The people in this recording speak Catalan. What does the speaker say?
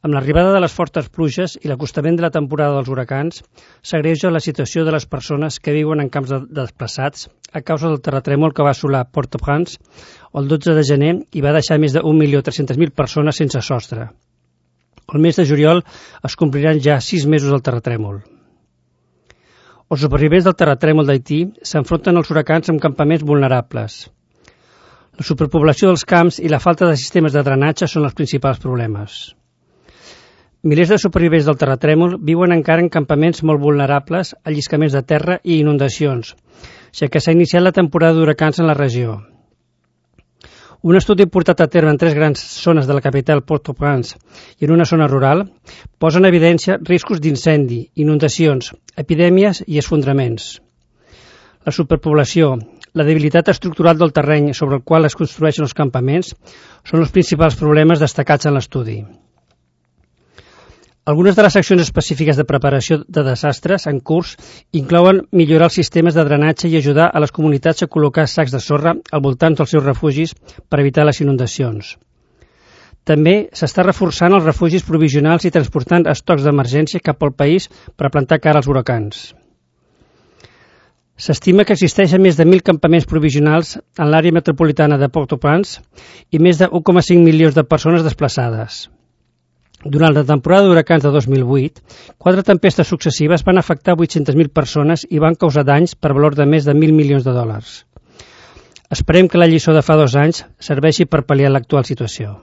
Amb l'arribada de les fortes pluges i l'acostament de la temporada dels huracans, s'agreuja la situació de les persones que viuen en camps desplaçats a causa del terratrèmol que va assolar Port-au-Prince el 12 de gener i va deixar més de 1.300.000 persones sense sostre. El mes de juliol es compliran ja 6 mesos del terratrèmol. Els supervivents del terratrèmol d'Haití s'enfronten als huracans amb campaments vulnerables. La superpoblació dels camps i la falta de sistemes de drenatge són els principals problemes. Milers de supervivents del terratrèmol viuen encara en campaments molt vulnerables a lliscaments de terra i inundacions, ja que s'ha iniciat la temporada d'huracans en la regió. Un estudi portat a terme en 3 grans zones de la capital Port-au-Prince i en una zona rural posa en evidència riscos d'incendi, inundacions, epidèmies i esfondraments. La superpoblació, la debilitat estructural del terreny sobre el qual es construeixen els campaments són els principals problemes destacats en l'estudi. Algunes de les accions específiques de preparació de desastres en curs inclouen millorar els sistemes de drenatge i ajudar a les comunitats a col·locar sacs de sorra al voltant dels seus refugis per evitar les inundacions. També s'està reforçant els refugis provisionals i transportant estocs d'emergència cap al país per plantar cara als huracans. S'estima que existeixen més de 1.000 campaments provisionals en l'àrea metropolitana de Port-au-Prince i més de 1,5 milions de persones desplaçades. Durant la temporada d'huracans de 2008, 4 tempestes successives van afectar 800.000 persones i van causar danys per valor de més de 1.000 milions de dòlars. Esperem que la lliçó de fa 2 anys serveixi per pal·liar l'actual situació.